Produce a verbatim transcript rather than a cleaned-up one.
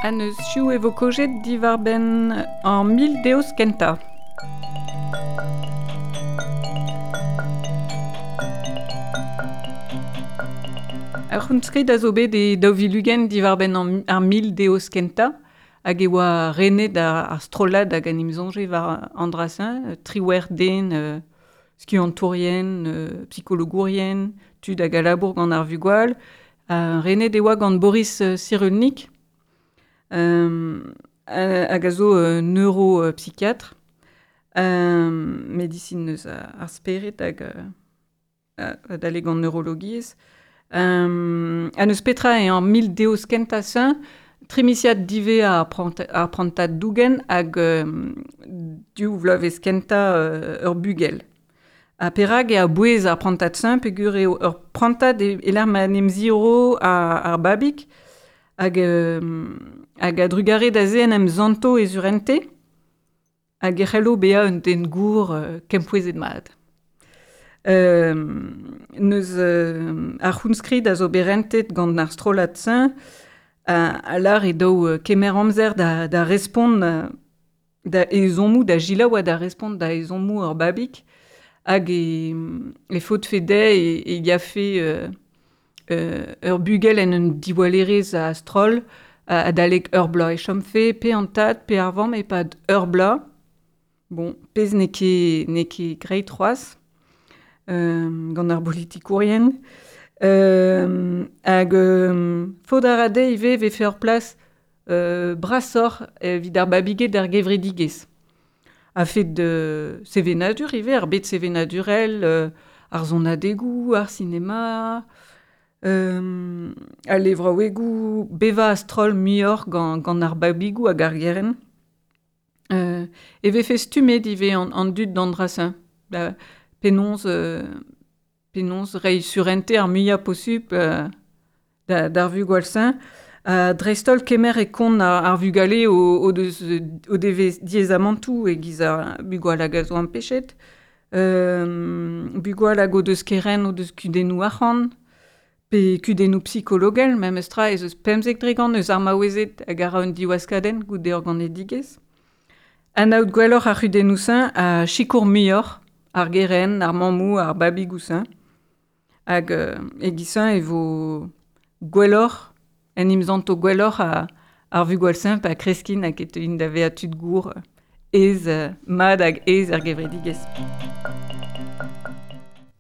An eus chiou e vo kojet diwar benn an mil deus kenta. Ar c'hounskrid a zo bet e daou vil ugent diwar benn an, ar mil deus kenta hag e oa renet ar, ar strollad hag an imzonje war an drasin, triwer den, euh, skiantourien, euh, psychologourien, tud hag a labour gant ar vugwal. Uh, renet e oa gant Boris Cyrulnik, euh, hag a zo euh, neuropsychiatre, euh, medicine eus ar spered hag euh, adalek gant neurologiezh. Euh, an eus petra e an mil deus kenta sein, tremisiad dive ar ar prantad dougen hag euh, div vloavezh kenta euh, ur bugel. A perag e a bouez ar prantad sein peogwir eo ur prantad e, e lec'h ma n'em ziro ar, ar babig hag, euh, hag a drugare da ze en em zanto e zurente hag e c'hello bezañ un den gour euh, kempouezet mat. Euh, neus euh, ar c'hounskrid a zo berentet gant ar strollad sein a, a lar e daou kemer amzer da, da respont da ezhommoù, da gilaou ha da respont da ezhommoù ur babig hag e, e faot fe dezhe e, e yafe euh, euh, ur bugel en un diwallerez a stroll adalek ur bloaz e chom fe pe an tad pe ar vamm e-pad ur bloaz. Bon, pezh n'eo ket n'eo ket graet c'hoazh euh, gant ar bolitikourien. Euh, hag euh, faot a ra dezhe ivez vefe ur plas euh, brasoc'h evit ar babiged ar gevredigezh. A fet de sevenadur ivez, ar bet sevenadurel, euh, ar sonadegoù, ar sinema, euh, al levraouegoù, bevañ a-stroll muioc'h gant, gant ar babigoù hag ar gerent. Euh, e vefe stummet ivez an, an dud d'an drasin. Da, penaos, euh, penaos reiñ surente ar muiañ posupl euh, da, d'ar vugale-sein. Uh, dreist-holl kemer e kont ar, ar vugale o, o, deus, o devez diaezamantoù e-giz ar bugale hag a zo ampechet, euh, bugale hag o deus keren o deus kudennoù arc'hant, pe kudennoù psikologel, memes tra ez eus pemzek dregant eus ar maouezed hag a ra un diwaskadenn goude ur ganedigezh. Anaout gwelloc'h ar c'hudennoù-sein a sikour muioc'h ar gerent, ar mammoù, ar babigoù-sein. Hag euh, e-giz-sein e vo gwelloc'h en imzanto gwelloc'h a, ar vugale-sein pa kreskin hag e teuint da vezañ tud gour ez, mad hag ez ar gevredigezh.